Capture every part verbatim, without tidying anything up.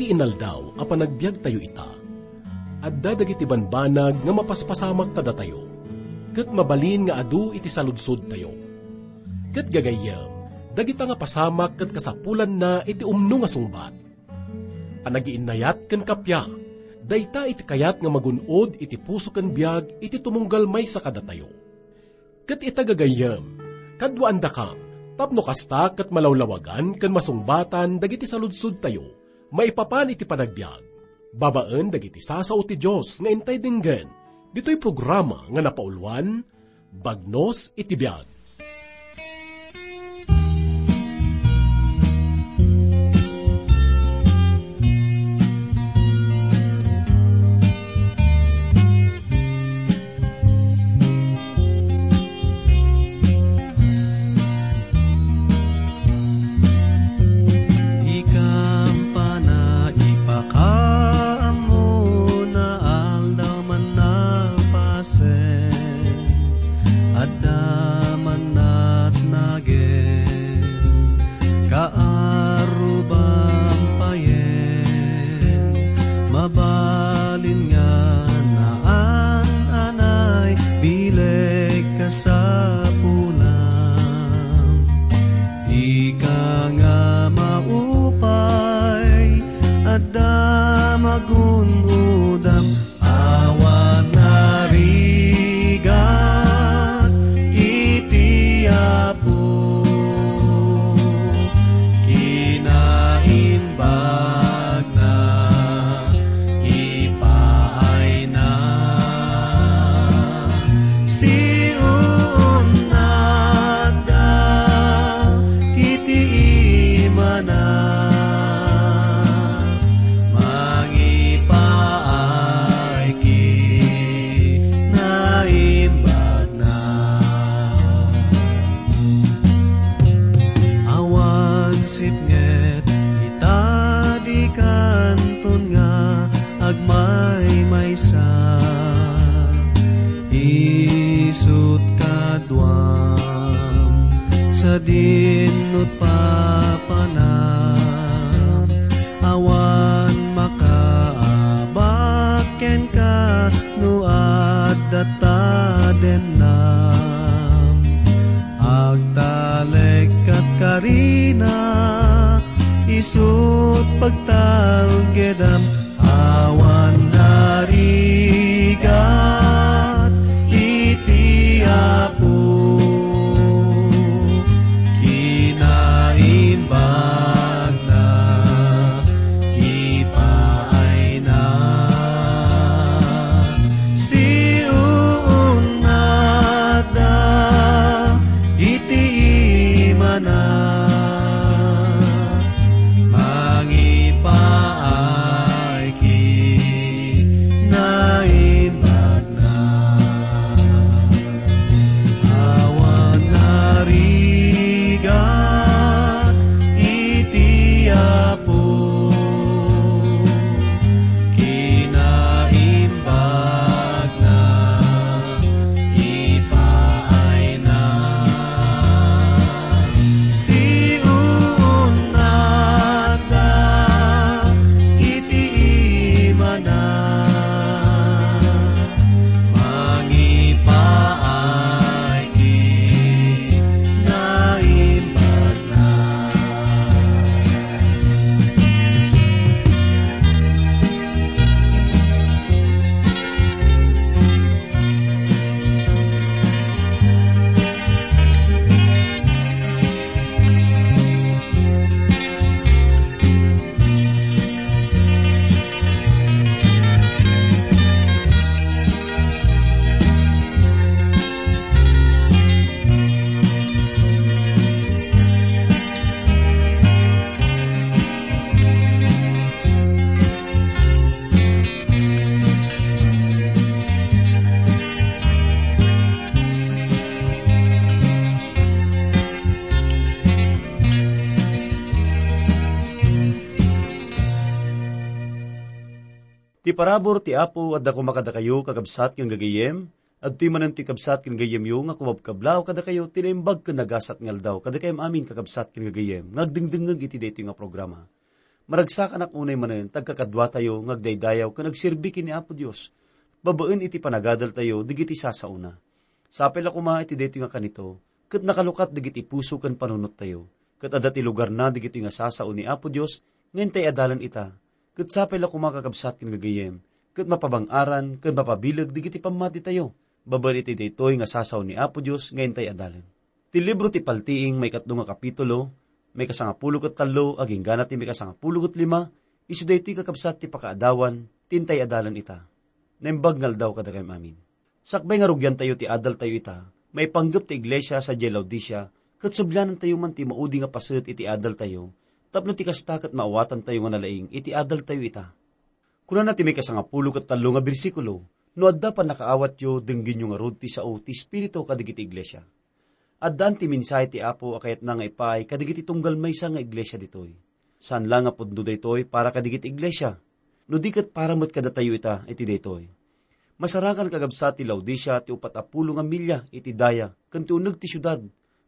Inaldaw a panagbiagtayo ita, adda dagiti banbanag nga mapaspasamak kadatayo, ket mabalin nga adu iti saludsodtayo. Ket gagayyem, dagita nga pasamak ket kasapulanna iti umno nga sungbat. Panagiinnayat ken kappia, dayta iti kayat nga magun-od iti puso ken biag iti tumunggal maysa kadatayo. Ket ita gagayyem, kaduaandakam, tapno kasta ket malawlawagan ken masungbatan dagiti saludsodtayo maipapan iti panagbiag, babaen dagiti sasao ti Dios nga intay denggen ditoy programa nga napauluan, Bagnos iti Biag. Di kampana ipakaammo na aldaw man napasen, adda man natnagen, kaarruban payen, mabalin nga naan-anay bileg kasapulam. Dika nga maupay, adda magun-odam, awan narigat iti Apo. Kinaimbag na ipaayna. Siunnatda iti imana, mangipaay kinaimbag na. Awan sipnget ita di kanton nga agmaymaysa. Isut kaduam, sadin nut papanam, awan makaabak kenka no adda ta dennam. Agtalek kat karina, isut pagtalgedam, awan narigat iti Apo. Kinaimbag na ipaayna. Siunnatda iti imana, mangipaay kinaimbag na. Awan narigat iti Apo, kinaimbag na ipaayna. Siunnatda iti imana, mangipaay kinaimbag na. Ti parabur ti Apo adda koma kadakayo, kakabsat ken gagayyem. Adtoy manen ti kabsat ken gayyemyo nga kumabkablaw kadakayo ti naimbag ken nagasat nga aldaw. Kadakayem amin, kakabsat ken gagayyem, nga agdengdengngeg iti daytoy nga programa. Maragsakanak unay manen ti agkakaduatayo nga agdaydayaw ken agserbi ken ni Apo Dios, babaen iti panagadaltayo dagiti sasaona. Sapay la koma iti daytoy nga kanito, ket nakalukat dagiti puso ken panunottayo, ket adda ti lugarna dagitoy nga sasao ni Apo Dios nga intay adalan ita, ket sapay la koma kakabsat ken gagayyem, ket mapabang-aran ken mapabileg dagiti pammatitayo, babaen iti daytoy nga sasao ni Apo Dios nga intay adalan. Ti libro ti Paltiing, maikatlo nga kapitulo, maikasangapulo ket tallo, aginggana ti maikasangapulo ket lima, isu daytoy kakabsat ti pakaadawan, ti intay adalan ita. Naimbag nga aldaw kadakayo amin. Sakbay nga rugiantayo ti adaltayo ita, maipanggep ti iglesia sadiay Laodicea, ket sublianantayo man ti maudi nga paset iti adaltayo, tapno ti kasta ket maawatantayo nga nalaing iti adaltayo ita. Kunana ti maikasangapulo ket tallo nga bersikulo, "No adda pannakaawatyo, denggenyo ngarud ti sao ti Espiritu kadagiti iglesia. Addaan ti mensahe ti Apo a kayatna nga ipaay kadagiti tunggal maysa nga iglesia ditoy. Saan la nga pudno daytoy para kadagiti iglesia, no di ket para met kadatayo ita iti daytoy. Masarakan kakabsat ti Laodicea ti upat a pulo nga milya iti daya ken ti uneg ti siudad,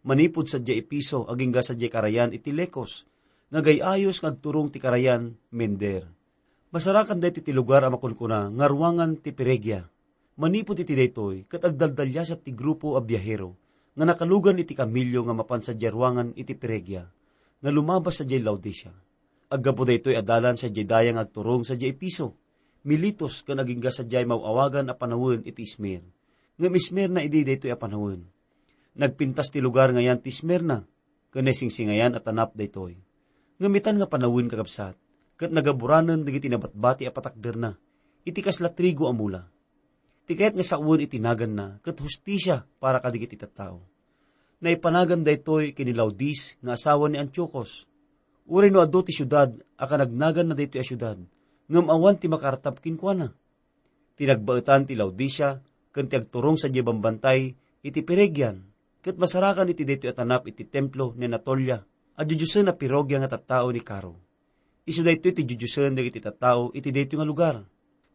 manipud sadiay Efeso agingga sadiay karayan iti Lecos, nga agay-ayos nga agturong ti karayan Mender. Masarakan daytoy ti lugar a makunkuna nga ruangan ti Peregia. Manipud iti daytoy, ket agdaldaliasat ti grupo a biahero nga nakalugan iti kamelio nga mapan sadiay ruangan iti Peregia, nga lumabas sadiay Laodicea. Aggapu daytoy a dalan sadiay daya nga agturong sadiay Efeso, Miletus, ken agingga sadiay maw-awagan a panawen iti Esmir. Ngem Esmirna idi daytoy a panawen. Nagpintas ti lugar ngayan ti Esmirna, ken naisingsingayan a tanap daytoy. Ngem itan nga panawen, kakabsat, ket nagaburanen dagiti nabatbati a patakderna iti kasla trigo a mula. Ti kayat nga sawen iti naganna ket hustisia para kadagiti tattao. Naipanagan daytoy ken ni Laodice nga asawa ni Antiochus. Uray no adu ti siudad a kanagnaganna daytoy a siudad, ngem awan ti makaartab kenkuana. Ti nagbaetan ti Laodicea ken ti agturong sadiay bambantay iti Peregian, ket masarakan iti daytoy a tanap iti templo ni Anatolia a diodiosen a pirogia nga tattao ni Caro. Isu daytoy ti diodiosen dagiti tattao iti daytoy nga lugar.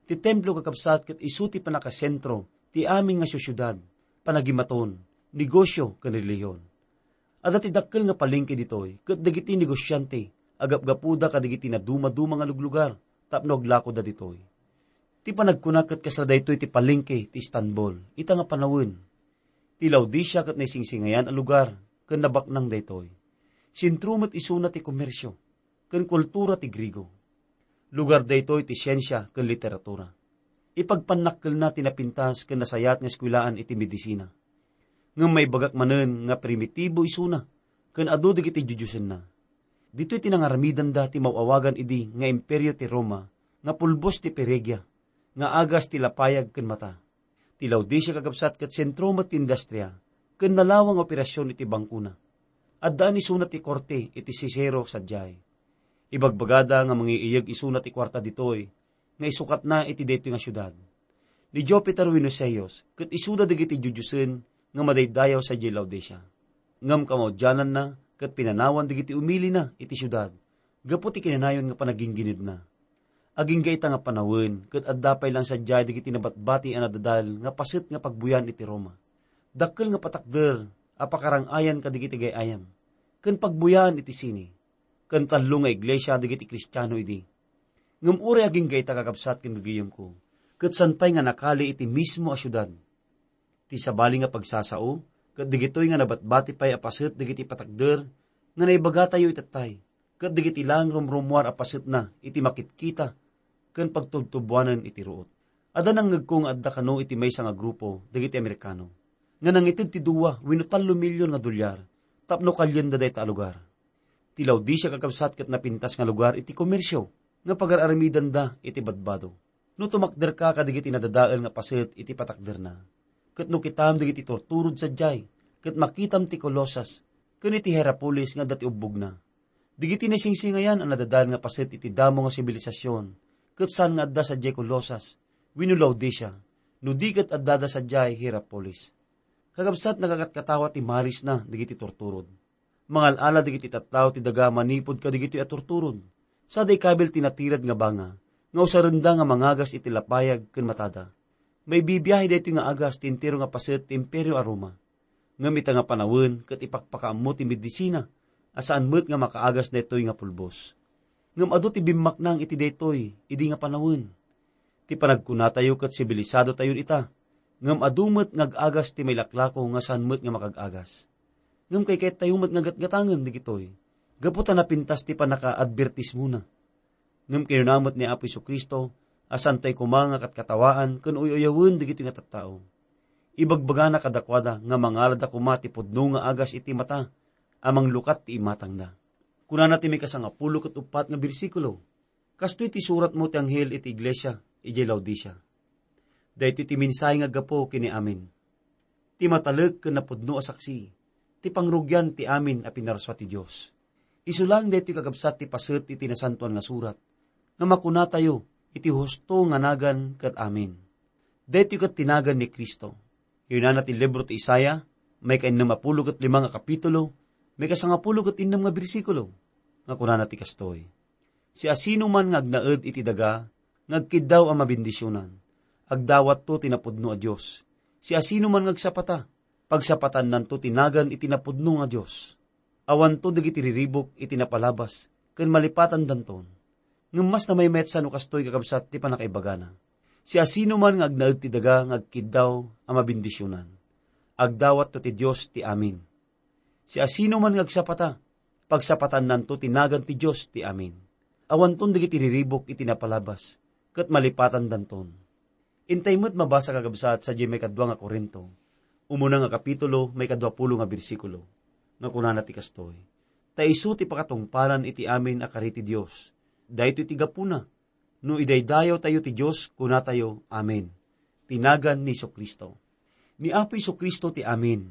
Ti templo, kakabsat, ket isu ti pannakasentro ti amin nga sosiedad, panagimaton, negosio, ken relihiyon. Adda ti dakkel nga palengke ditoy, ket dagiti negosiante agapgapuda kadagiti nadumaduma nga luglugar tapno aglakoda ditoy. Ti panagkuna ket kasla daytoy ti palengke ti Istanbul, ita nga panawen. Ti Laodicea ket naisingsingayan a lugar ken nabaknang daytoy. Sentro met isuna ti komersio ken kultura ti Griego. Lugar daytoy ti siensia ken literatura. Ipagpannakkelna ti napintas ken nasayaat nga eskuelaan iti medisina. Ngem maibagak manen nga primitibo isuna ken adu dagiti diodiosenna. Ditoy ti nangaramidanda ti maw-awagan idi nga Imperio ti Roma nga pulbos ti Peregia, nga agas ti lapayag ken mata. Ti Laodicea, kakabsat, ket sentro met ti industria ken nalawang nga operasion iti bangkona. Addaan isuna ti korte iti Cicero sadiay. Ibagbagada nga mangiiyeg isuna ti kuarta ditoy nga isukatna iti daytoy nga siudad. Ni Jupiter wenno Zeus ket isuda dagiti diodiosen nga madaydayaw sadiay Laodicea. Ngem kamaudiananna ket pinanawan dagiti umilina iti siudad gapu ti kinanayon nga panagingginedna. Agingga ita nga panawen ket adda pay laeng sadiay dagiti nabatbati a nadadal nga paset nga pagbuyan iti Roma. Dakkel nga patakder a pakarang-ayan kadagiti gay-ayam ken pagbuyaan iti sini. Ken tallo nga iglesia dagiti Kristiano idi. Ngem uray agingga ita, kakabsat ken gagayyemko, ket saan pay nga nakali iti mismo a siudad. Ti sabali nga pagsasao, ket dagitoy nga nabatbati pay a paset dagiti patakder nga naibagatayo itattay, ket dagiti laeng rumrummuar a pasetna iti makitkita ken pagtubtubuanen iti ruot. Adda nangngegko nga adda kano iti maysa nga grupo dagiti Amerikano nga nangited ti dua wenno tallo milyon nga dolyar tapno kalienda dayta a lugar. Ti Laodicea, kakabsat, ket napintas nga lugar iti komersio nga pagar-aramidanda iti badbado. No tumakderka kadagiti nadadael nga paset iti patakderna, ket no kitam dagiti turturod sadiay, ket makitam ti Colosas ken iti Hierapolis nga adda ti ubbogna. Dagiti naisingsingayan a nadadael nga paset iti damo nga sibilisasyon, ket saan nga adda sadiay Colosas wenno Laodicea, no di ket addada sadiay Hierapolis. Kakabsat, nagakatkatawa ti marisna dagiti turturod. Mangal-ala dagiti tattao ti daga manipud kadagitoy a turturod. Sada ikabil ti natirad nga banga nga usarenda nga mangagas iti lapayag ken matada. Maibibiahe daytoy nga agas ti entero nga paset ti Imperio a Roma. Ngem ita nga panawen ket ipakpakaammo ti medisina a saan met nga makaagas daytoy nga pulbos. Ngem adu ti bimmaknang iti daytoy idi nga panawen. Ti panagkunatayo ket sibilisadotayon ita, ngem adu met nga ag-agas ti mailaklako nga saan met nga makag-agas. Ngem kaykayattayo met nga gatgatangen dagitoy, gapu ta napintas ti pannakaadbertismona. Ngem kinuna met ni Apo Jesu-Cristo a saantayo koma nga katkatawaan ken uy-uyawen dagitoy nga tattao. Ibagbagana kadakuada nga mangalada koma ti pudno nga agas iti mata a manglukat ti imatangda. Kunana ti maikasangapulo ket uppat nga bersikulo, "Kastoy ti suratmo ti anghel iti iglesia idiay Laodicea. Daytoy ti mensahe nga aggapu ken ni Amen, ti matalek ken napudno a saksi, ti pangrugian ti amin a pinarsua ti Dios. Isu laeng daytoy kakabsat ti paset iti Nasantoan nga Surat, nga makunatayo iti husto nga nagan ket amin. Daytoy ket ti nagan ni Cristo." Kinunana ti libro ti Isaiah, maikainnem a pulo ket lima nga kapitulo, maikasangapulo ket innem nga bersikulo, nga kunana ti kastoy, "Siasinoman nga agnaed iti daga nga agkiddaw a mabendisionan, agdawatto ti napudno a Dios. Siasinoman nga agsapata, pagsapatannanto ti nagan iti napudno nga Dios. Awanto dagiti riribuk iti napalabas ken malipatandanton." Ngem mas namaymayatsa no kastoy kakabsat ti pannakaibagana, "Siasinoman nga agnaed ti daga nga agkiddaw a mabendisionan, agdawatto ti Dios ti amin. Siasinoman nga agsapata, pagsapatannanto ti nagan ti Dios ti amin. Awanton dagiti riribuk iti napalabas, ket malipatandanton." Intay met mabasa, kakabsat, sadiay maikadua nga Corinto, umuna nga kapitulo, maikadua pulo nga bersikulo, nga kunana ti kastoy, "Ta isu ti pakatungpalan iti amin a kari ti Dios. Daytoy ti gapuna, no idaydayawtayo ti Dios, kunatayo, 'Amen,' ti nagan ni Jesu-Cristo." Ni Apo Jesu-Cristo ti Amen.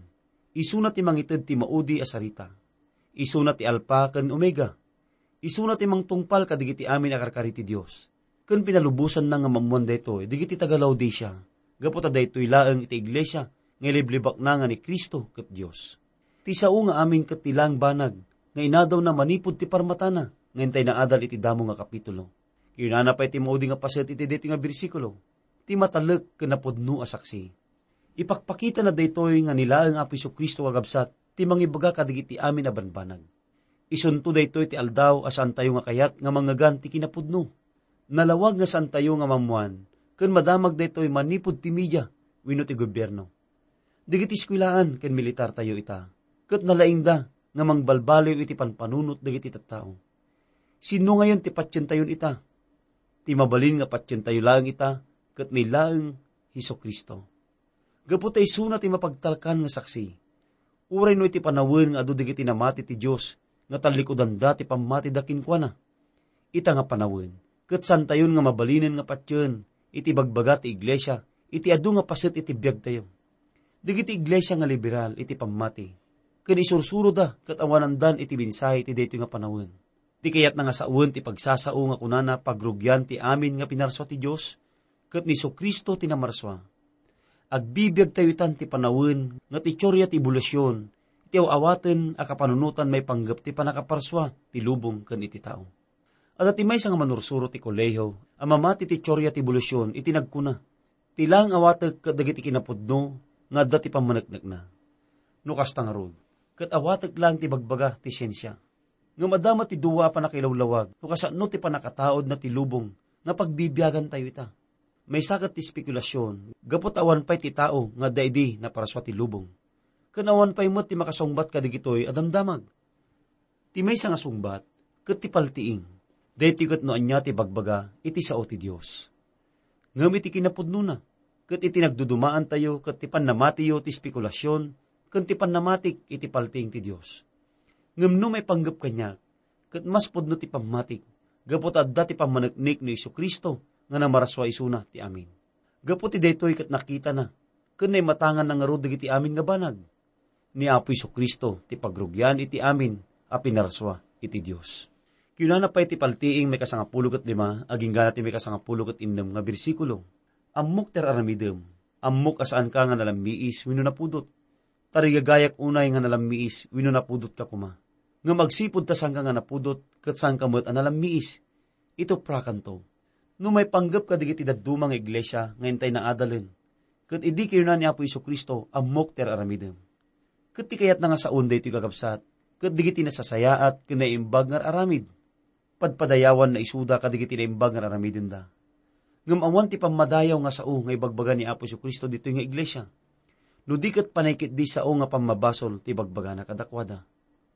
Isuna ti mangited ti maudi a sarita. Isuna ti Alfa ken Omega. Isuna ti mangtungpal kadagiti amin a karkari ti Dios. Ken pinalubosanna nga maammoan daytoy dagiti taga-Laodicea, gapu ta daytoy laeng iti iglesia nga iliblibakna nga ni Cristo ket Dios. Ti sao nga amin ket ti laeng banag nga inadawna manipud ti parmatana nga intay naadal iti damo nga kapitulo. Kinunana pay ti maudi nga paset iti daytoy nga bersikulo, "Ti matalek ken napudno a saksi." Ipakpakitana daytoy nga ni laeng Apo Jesu-Cristo, kakabsat, ti mangibaga kadagiti amin a banbanag. Isunto daytoy ti aldaw a saantayo nga kayat nga mangngegan ti kinapudno. Nalawag nga saantayo nga maammoan ken madamag daytoy manipud ti media wenno ti gobierno. Dagiti eskuelaan ken militartayo ita, ket nalaingda nga mangbalbaliw iti panpanunot dagiti tattao. Sinno ngayon ti patientayon ita? Ti mabalin nga patientayo laeng ita ket ni laeng Jesu-Cristo. Gapu ta isuna ti mapagtalkan nga saksi. Uray no iti panawen nga adu dagiti namati ti Dios nga tallikudanda ti pammatida kenkuana, ita nga panawen, ket saantayon nga mabalinen nga patien iti ibagbaga ti iglesia iti adu nga paset iti biagtayo. Dagiti iglesia nga liberal iti pammati, ken isursuroda ket awanandan iti mensahe iti daytoy nga panawen. Ti kayatna nga sawen ti pagsasao nga kunana pagrugian ti amin nga pinarsua ti Dios, ket ni Jesu-Cristo ti namarsua. Agbibiagtayo itan ti panawen nga ti teoria ti ebolusyon, ti aw-awaten a kapanunotan maipanggep ti pannakaparsua ti lubong ken iti tao. Adda ti maysa nga manursuro ti kolehiyo a mamati ti teoria ti ebolusyon iti nagkuna, "Ti laeng awatek ket dagiti kinapudno nga adda ti pammaneknekna." No kasta ngarud, ket awatek laeng ti bagbaga ti siensia. Ngem adda met ti dua a pannakailawlawag no kasano ti pannakataudna ti lubong nga pagbibiagantayo ita. Maysa ket ti espekulasion gapu ta awan pay ti tao nga adda idi naparsua ti lubong. Ken awan pay met ti makasungbat kadagitoy a damdamag. Ti maysa nga sungbat ket ti paltiing. Daytoy ket no ania ti bagbaga iti sao ti Dios. Ngem iti kinapudnona, ket iti nagdudumaantayo ket ti pannamatiyo ti espekulasion ken ti pannamatik iti paltiing ti Dios. Ngem no maipanggep kaniak, ket mas pudno ti pammatik, gapu ta adda ti pammaneknek ni Jesu-Cristo nga namarsua isuna ti amin. Gapu ti daytoy ket nakitana, ken naimatanganna ngarud dagiti amin nga banag. Ni Apo Jesu-Cristo ti pagrugian iti amin a pinarsua iti Dios. Kinunana pay ti paltiing maikasangapulo ket lima, agingga ti maikasangapulo ket innem nga bersikulo, "Ammok ti ar-aramidem. Ammok a saanka nga nalammiis wenno napudot. Tarigagayak unay nga nalammiis wenno napudotka koma. Ngem agsipud ta saanka nga napudot ket saanka met a nalammiis, ituprakanto. No maipanggep kadagiti dadduma nga iglesia nga intay naadalen, ket idi kinuna ni Apo Jesu-Cristo, 'Ammok ti ar-aramidem.'" Ket ti kayatna nga saon daytoy, kakabsat, ket dagiti nasasayaat ken naimbag nga ar-aramid. padpadayawanna isuda kadagiti naimbag nga aramidenda. Ngem awan ti pammadayaw nga sao nga ibagbaga ni Apo Jesu-Cristo ditoy nga iglesia, no di ket panay ketdi sao nga pammabasol ti ibagbagana kadakuada.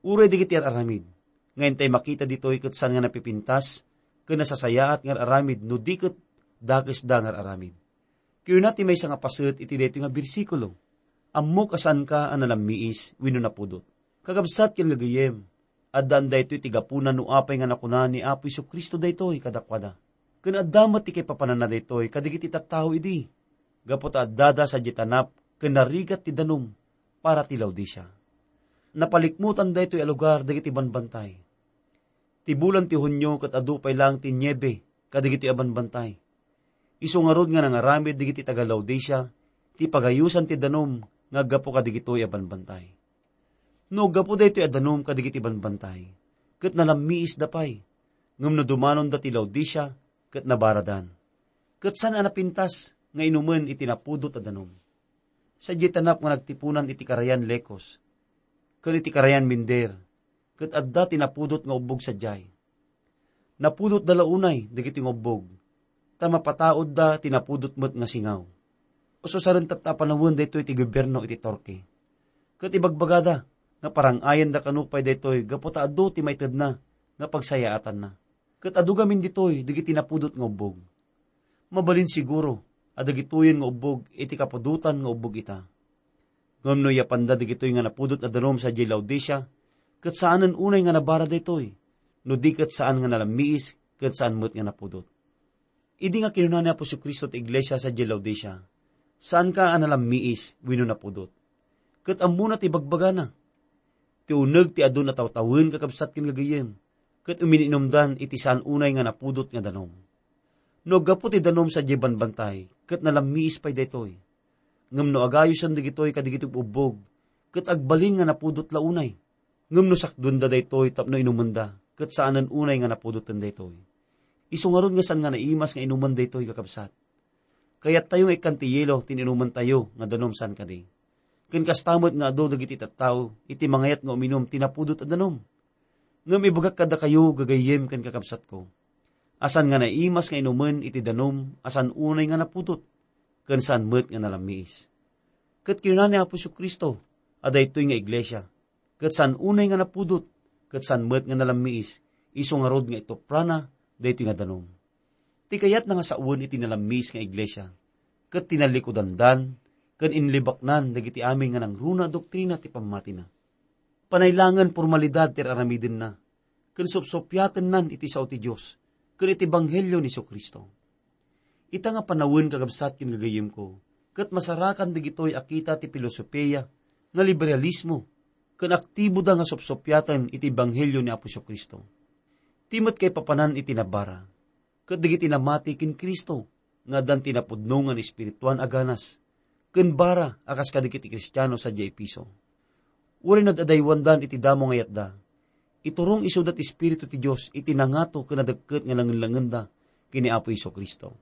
Uray dagiti ar-aramid nga intay makita ditoy ket saan nga napipintas ken nasasayaat nga ar-aramid no di ket dakesda nga ar-aramid. Kinuna ti maysa nga paset iti daytoy nga bersikulo, "Ammok a saanka a nalammiis wenno napudot." Kakabsat ken gagayyem, addaan daytoy ti gapuna no apay nga nakuna ni Apo Jesu-Cristo daytoy kadakuada. Ken adda met ti kaipapananna daytoy kadagiti tattao idi, gapu ta addada sadiay tanap ken narigat ti danum para ti Laodicea. Napalikmutan daytoy a lugar dagiti banbantay. Ti bulan ti Hunio ket adu pay laeng ti niebe kadagitoy a banbantay. Isu ngarud nga nangaramid dagiti taga-Laodicea ti pagayosan ti danum nga aggapu kadagitoy a banbantay. No aggapu daytoy a danum kadagiti banbantay, ket nalammiisda pay, ngem no dumanonda ti Laodicea, ket nabaradan. Ket saan a napintas nga inumen iti napudot a danum. Sadiay tanap nga nagtipunan iti karayan Lekos ken iti karayan Minder, ket adda ti napudot nga ubbog sadiay. Napudotda la unay dagiti nga ubbog, ta mapataudda ti napudot met nga singaw. Ususaren tatta a panawen daytoy ti gobierno iti Turkey. Ket ibagbagada nga parang-ayenda kano pay daytoy gapu ta adu ti maitedna nga pagsayaatanna. Ket adu gamin ditoy dagiti napudot nga ubbog. Mabalin siguro a dagitoyen nga ubbog iti kapudotan nga ubbog ita. Ngem no iyapanda dagitoy nga napudot a danum sadiay Laodicea, ket saanen unay nga nabara daytoy, no di ket saan nga nalammiis ket saan met nga napudot. Idi nga kinuna ni Apo Jesu-Cristo ti iglesia sadiay Laodicea, "Saanka a nalammiis wenno napudot." Ket ammona ti ibagbagana. Ti uneg ti adu natawtawen, kakabsat ken gagayyem, ket umin-inumdan iti saan unay nga napudot nga danum. No aggapu ti danum sadiay banbantay, ket nalammiis pay daytoy. Ngem no agayosen dagitoy kadagiti ubbog, ket agbalin nga napudot la unay. Ngem no sakduenda daytoy tapno inumenda, ket saanen unay nga napudoten daytoy. Isu ngarud nga saan nga naimas nga inumen daytoy, kakabsat. Kayattayo nga ikkan ti yelo ti inumentayo nga danum saan kadi. Ken kasta met nga adu dagiti tattao iti mangayat nga uminum ti napudot a danum. Ngem ibagak kadakayo, gagayyem ken kakabsatko, a saan nga naimas nga inumen iti danum a saan unay nga napudot, ken saan met nga nalammiis. Ket kinuna ni Apo Jesu-Cristo a daytoy nga iglesia, ket saan unay nga napudot, ket saan met nga nalammiis, isu ngarud nga ituprana daytoy nga danum. Ti kayatna nga sawen iti nalammiis nga iglesia, ket tinallikudandan ken inlibaknan dagiti amin nga nangruna a doktrina ti pammatina. Panaylangen formalidad ti ar-aramidenna, ken supsupiatennan iti sao ti Dios ken iti ebanghelio ni Jesu-Cristo. Ita nga panawen, kakabsat ken gagayyemko, ket masarakan dagitoy a kita ti filosofia nga liberalismo, ken aktiboda nga supsupiaten iti ebanghelio ni Apo Jesu-Cristo. Ti met kaipapanan iti nabara, ket dagiti namati ken Cristo nga addan ti napudno nga naespirituan a ganas ken bara a kas kadagiti Kristiano sadiay Efeso. Uray nagadayawandan iti damo nga yatda, iturong isuda ti Espiritu ti Dios iti nangato ken nadekket nga langen-langenda ken ni Apo Jesu-Cristo.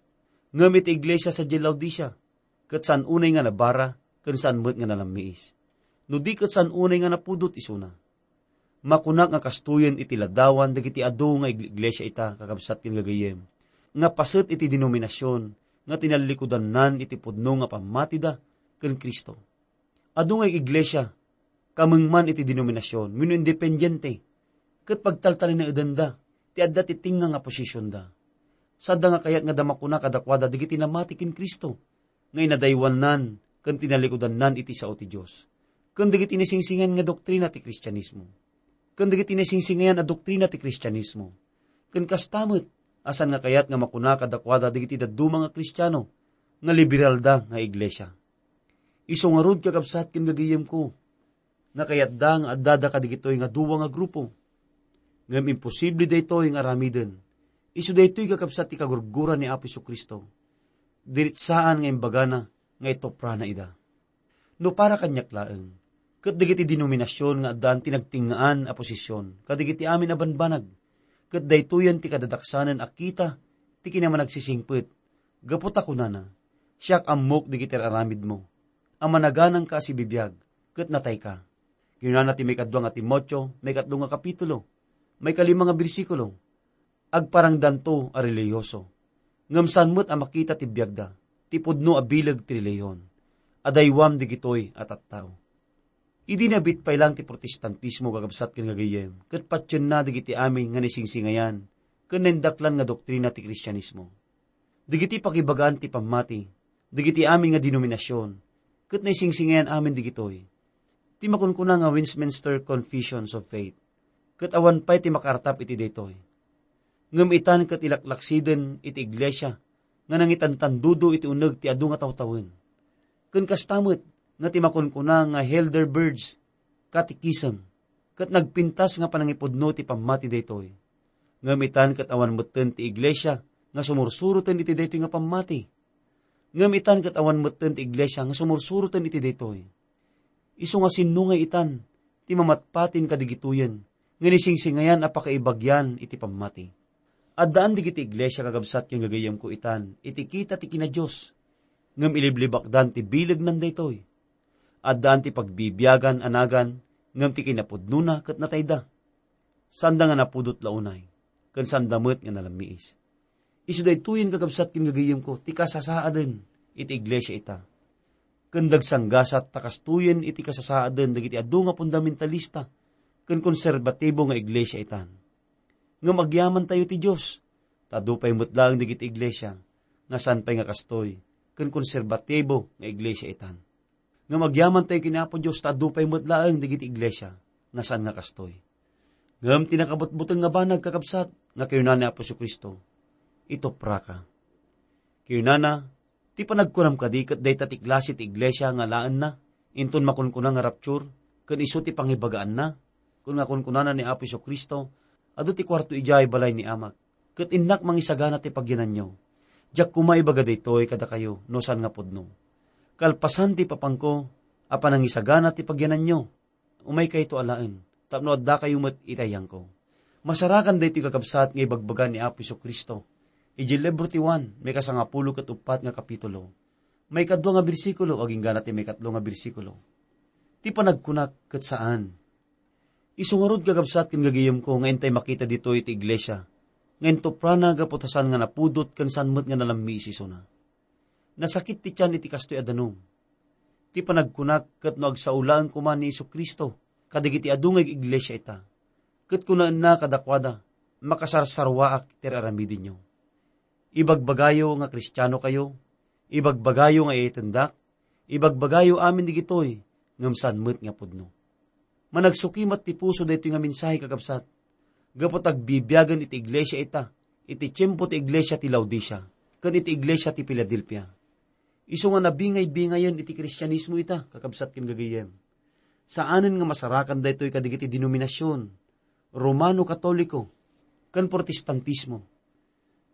Ngem iti iglesia sadiay Laodicea, ket saan unay nga nabara ken saan met nga nalammiis. No di ket saan unay nga napudot isuna. Makunak nga kastoyen iti ladawan dagiti adu nga ig-, iglesia ita, kakabsat ken gagayyem, nga paset iti denominasion nga tinallikudannan iti pudno nga pammatida ken Cristo. Adu nga iglesia, kamengman iti denominasion wenno independiente, ket pagtaltalinaedenda ti adda ti tengnga nga posisionda. Sadda nga kayat nga adda makuna kadakuada dagiti namati ken Cristo nga inadaywannan ken tinallikudannan iti sao ti Dios, ken dagiti nasingsingayan nga doktrina ti Kristianismo, ken dagiti nasingsingayan a doktrina ti Kristianismo, ken kasta met a saan nga kayat nga makuna kadakuada dagiti dadduma nga Kristiano nga liberalda nga iglesia. Isu ngarud, kakabsat ken gagayyemko, nga kayatda nga addada kadagitoy nga dua nga grupo. Ngem imposible daytoy nga aramiden. Isu daytoy, kakabsat, ti kagurguran ni Apo Jesu-Cristo. Diri saan nga imbagana nga ituprana ida. No para kaniak laeng, ket dagiti denominasion nga addaan ti nagtengngaan a posisyon kadagiti amin a banbanag, ket daytoyen ti kadadaksanen a kita ti kinamanagsisingpet, gapu ta kunana, "Siak ammok dagiti ar-aramidmo, a managanangka a sibibiag, ket natayka." Kinunana ti maikadua nga Timoteo, maikatlo nga kapitulo, maikalima nga bersikulo, agparangdanto a relihiyoso, ngem saan met a makita ti biagda, ti pudno a bileg ti relihiyon. Adaywam digitoy a tattao. Idi nabit pay laeng ti Protestantismo, kakabsat ken gagayyem, ket patienna dagiti amin nga naisingsingayan ken naindaklan nga doktrina ti Kristianismo. Dagiti pakibagaan ti pammati, dagiti amin nga denominasion, ket naisingsingayan amin digitoy. Ti makunkuna nga Westminster Confessions of Faith, ket awan pay ti makaartap iti daytoy. Ngem itan ket ilaklaksiden iti iglesia nga nangitantandudo iti uneg ti adu nga tawtawen. Ken kasta met nga ti makunkuna nga Heidelberg's Catechism, ket nagpintas nga panangipudno ti pammati daytoy. Ngem itan ket awan metten ti iglesia nga sumursuroten iti daytoy nga pammati. Ngem itan ket awan metten ti iglesia nga sumursuroten iti daytoy. Isu nga sinno ngay itan ti mamatpatin kadigitoyen nga nisingsingayan a pakaibagian iti pammati? Addaan dagiti iglesia, kakabsat ken gagayyemko, itan iti kita ti kina-Dios, ngem iliblibakdan ti bilegnan daytoy. Addaan ti pagbibiagan a nagan, ngem ti kinapudnona ket natayda. Saanda nga napudot la unay, ken saanda met nga nalammiis. Isu daytoyen, kakabsat ken gagayyemko, ti kasasaaden iti iglesia ita. Ken dagsanggasat ta kastoyen iti kasasaaden dagiti adu nga fundamentalista ken konserbatibo nga iglesia itan. Ngem agyamantayo ti Dios, ta adu pay met laeng dagiti iglesia nga saan pay nga kastoy ken konserbatibo nga iglesia itan. Ngem agyamantayo ken Apo Dios ta adu pay met laeng dagiti iglesia nga saan nga kastoy. Ngem ti nakabutbuteng nga banag, kakabsat, nga kinuna ni Apo Jesu-Cristo, "Itupraka." Kinunana, "Ti panagkunam kadi ket dayta ti klase ti iglesia nga alaenna, inton makunkuna nga rapture, ken isu ti pangibagaanna?" Ken nga kunkunana ni Apo Jesu-Cristo, "Adu ti kuarto idiay balay ni Amak, ket innak mangisagana ti pagyananyo. Diak koma ibaga daytoy kadakayo no saan nga pudno. Kalpasan ti ipapangko a panangisagana ti pagyananyo, umaykayto alaen, tapno addakayo met iti ayangko." Masarakan daytoy, kakabsat, nga ibagbaga ni Apo Jesu-Cristo idiay libro ti Juan, maikasangapulo ket uppat nga kapitulo. Maikadua nga bersikulo, agingga ti maikatlo nga bersikulo. Ti panagkunak ket saan. Isu ngarud, kakabsat ken gagayyemko, nga intay makita ditoy iti iglesia nga intuprana gapu ta saan nga napudot ken saan met nga nalammiis isuna. Nasakit ti tian iti kastoy a danum. Ti panagkunak ket no agsao laeng koma ni Jesu-Cristo kadagiti adu nga iglesia ita, ket kunaenna kadakuada, "Makasarsarwaak ti ar-aramidenyo." Ibagbagayo nga Kristianokayo, ibagbagayo nga iyatendak, ibagbagayo amin digitoy, ngem saan met nga pudno. Managsukimat ti puso daytoy nga mensahe, kakabsat, gapu ta agbibiagen iti iglesia ita, iti tiempo ti iglesia ti Laodicea, ken iti iglesia ti Filadelfia. Isu nga nabingay-bingayen iti Kristianismo ita, kakabsat ken gagayyem. Saanen nga masarakan daytoy kadagiti denominasion, Romano Katoliko, ken Protestantismo.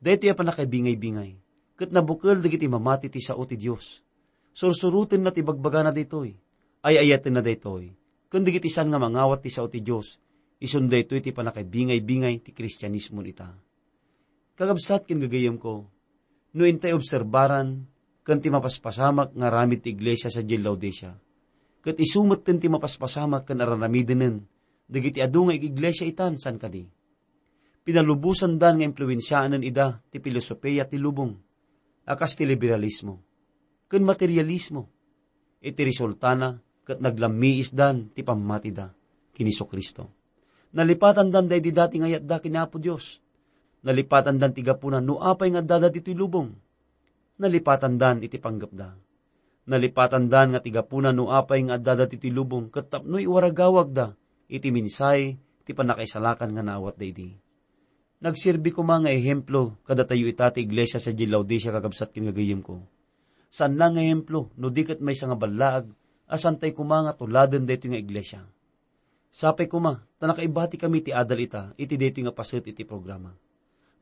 Daytoy a pannakaibingay-bingay, ket nabukel dagiti mamati ti sao ti Dios. Sursurotenna ti bagbagana daytoy, ay-ayatenna daytoy, ken dagiti saan nga mangawat ti sao ti Dios, isun daytoy ti pannakaibingay-bingay ti Kristianismo ita. Kakabsat ken gagayyemko, no intay obserbaran ken ti mapaspasamak nga aramid ti iglesia sadiay Laodicea, ket isu metten ti mapaspasamak ken ar-aramidenen dagiti adu nga iglesia itan, saan kadi? Pinalubosandan nga impluensiaenen ida ti filosofia ti lubong a kas ti liberalismo ken materialismo. Iti resultana, ket naglammiisdan ti pammatida ken Jesu-Cristo. Nalipatandan daydi dati nga ayatda ken Apo Dios. Nalipatandan ti gapuna no apay nga addada ditoy lubong. Nalipatandan iti panggepda. Nalipatandan nga ti gapuna no apay nga addada ditoy lubong ket tapno iwaragawagda iti mensahe ti pannakaisalakan nga naawatda idi. Nagserbi koma nga ehemplo kadatayo ita ti iglesia sadiay Laodicea, kakabsat ken gagayyemko. Saan la nga ehemplo no di ket maysa nga ballaag a saantay koma nga tuladen daytoy nga iglesia. Sapay koma ta nakaibatikami ti adal ita iti daytoy nga paset iti programa.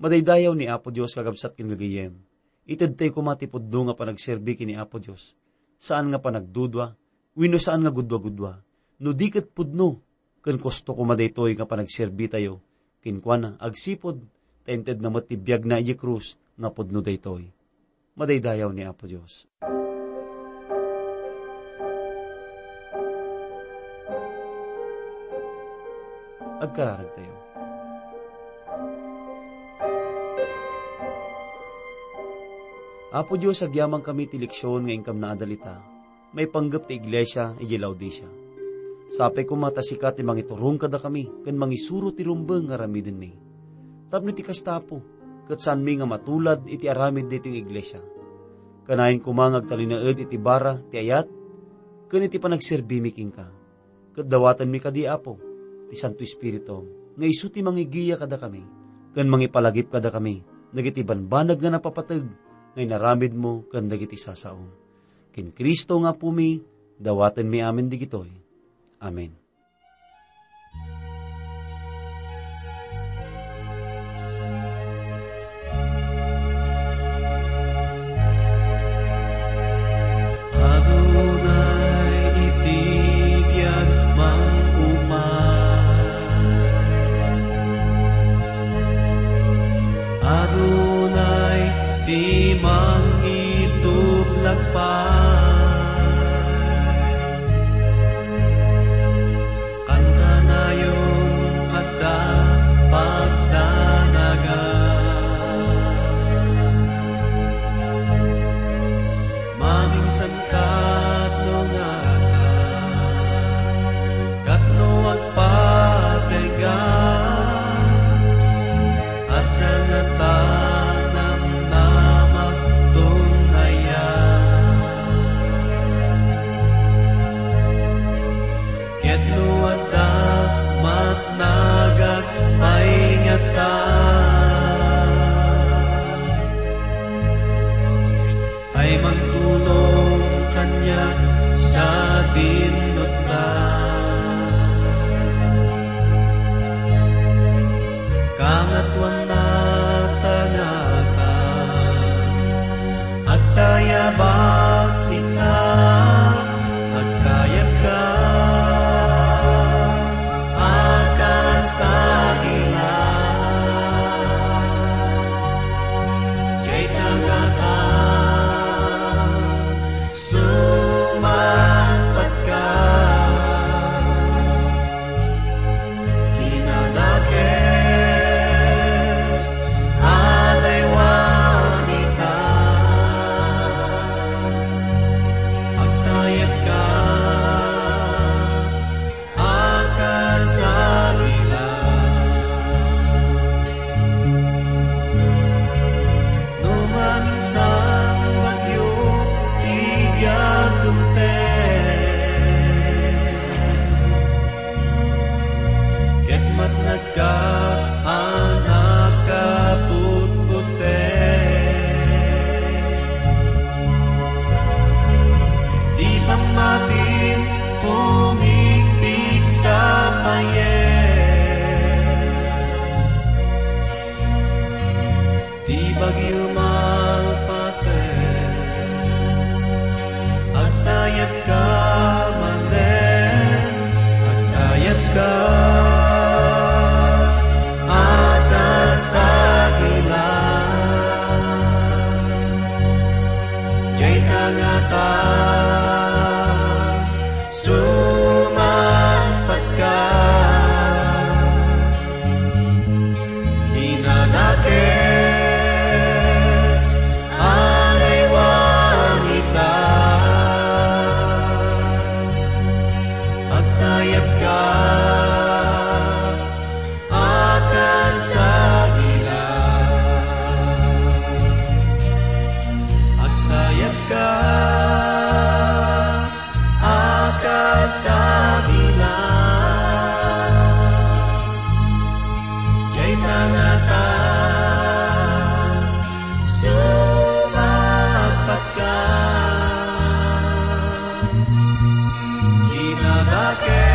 Madaydayaw ni Apo Dios, kakabsat ken gagayyem. Itedtay koma ti pudno nga panagserbi ken ni Apo Dios. Saan nga panagdudua, wenno saan nga gudua-gudua. No di ket pudno, ken kosto koma daytoy nga panagserbitayo kenkuana agsipud ta intedna met ti biagna idiay krus nga pudno daytoy. Madaydayaw ni Apo Dios. Agkararagtayo. Apo Dios, agyamankami ti leksion nga inkam naadal ita maipanggep ti iglesia idiay Laodicea. Sapay koma ta sika ti mangiturong kadakami ken mangisuro ti rumbeng nga aramidenmi. Tapno iti kasta, Apo, ket saanmi nga matulad iti aramid daytoy nga iglesia. Kanayon koma nga agtalinaed iti bara ti ayat ken iti panagserbimi kenka. Ket dawatenmi kadi, Apo, ti Santo Espiritu nga isu ti mangigiya kadakami ken mangipalagip kadakami dagiti banbanag nga napapateg nga inaramidmo ken dagiti sasaom. Ken Cristo nga Apomi, dawatenmi amin digitoy. Amen. Adunay iti biag mangumay. Adunay ti mangitublag pay. Kantanayon adda pagdanagan. Mamingsan kat no ngata, kat no agpatengga, adda ngata namnamaton aya. Ket no adda matnagak ay ngata, ay mangtulong kaniak sadin no adda. Kangatoan ta ngata, agtayabak ita, agkayabka, akasagila. Dayta ngata, sumangpetka. Kinadakes a daywan ita, agtayabka, akasagila. No maminsan bagyo ti biag dumteng, ket matnagka a nakaputputek. Ti pammatim, tumigpigsa payen. Ti bagyo malpasen, agtayabka manen, agtayabka, akasagila. Dayta ngata, sumangpetka. Kinadakes a daywan ita, agtayabka, akasagila. Agtayabka, akasagila. Dayta ngata, sumangpetka. Kinadakes